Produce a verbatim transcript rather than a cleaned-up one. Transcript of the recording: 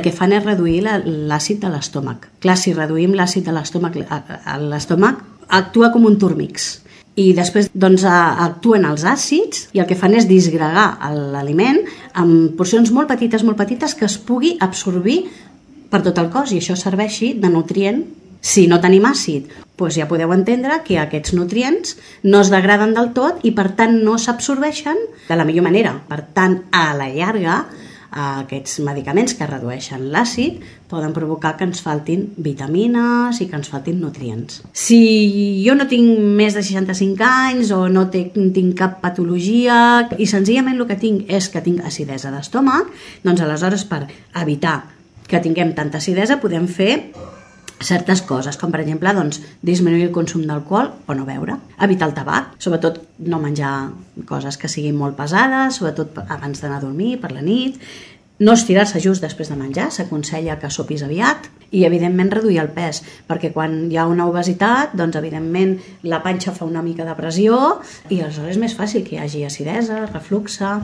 que fan és reduir l'àcid de l'estómac. Clar, si reduïm l'àcid de l'estómac, l'estómac actua com un turmix. I després doncs, actuen els àcids i el que fan és disgregar l'aliment en porcions molt petites, molt petites que es pugui absorbir per tot el cos i això serveixi de nutrient. Si no tenim àcid, doncs ja podeu entendre que aquests nutrients no es degraden del tot i per tant no s'absorbeixen de la millor manera. Per tant, a la llarga, aquests medicaments que redueixen l'àcid poden provocar que ens faltin vitamines i que ens faltin nutrients. Si jo no tinc més de seixanta-cinc anys o no tinc cap patologia i senzillament el que tinc és que tinc acidesa d'estómac, doncs aleshores per evitar que tinguem tanta acidesa podem fer certes coses, com per exemple doncs, disminuir el consum d'alcohol o no beure, evitar el tabac, sobretot no menjar coses que siguin molt pesades, sobretot abans d'anar a dormir, per la nit, no estirar-se just després de menjar, s'aconsella que sopis aviat i evidentment reduir el pes, perquè quan hi ha una obesitat, doncs evidentment la panxa fa una mica de pressió i aleshores és més fàcil que hi hagi acidesa, refluxe.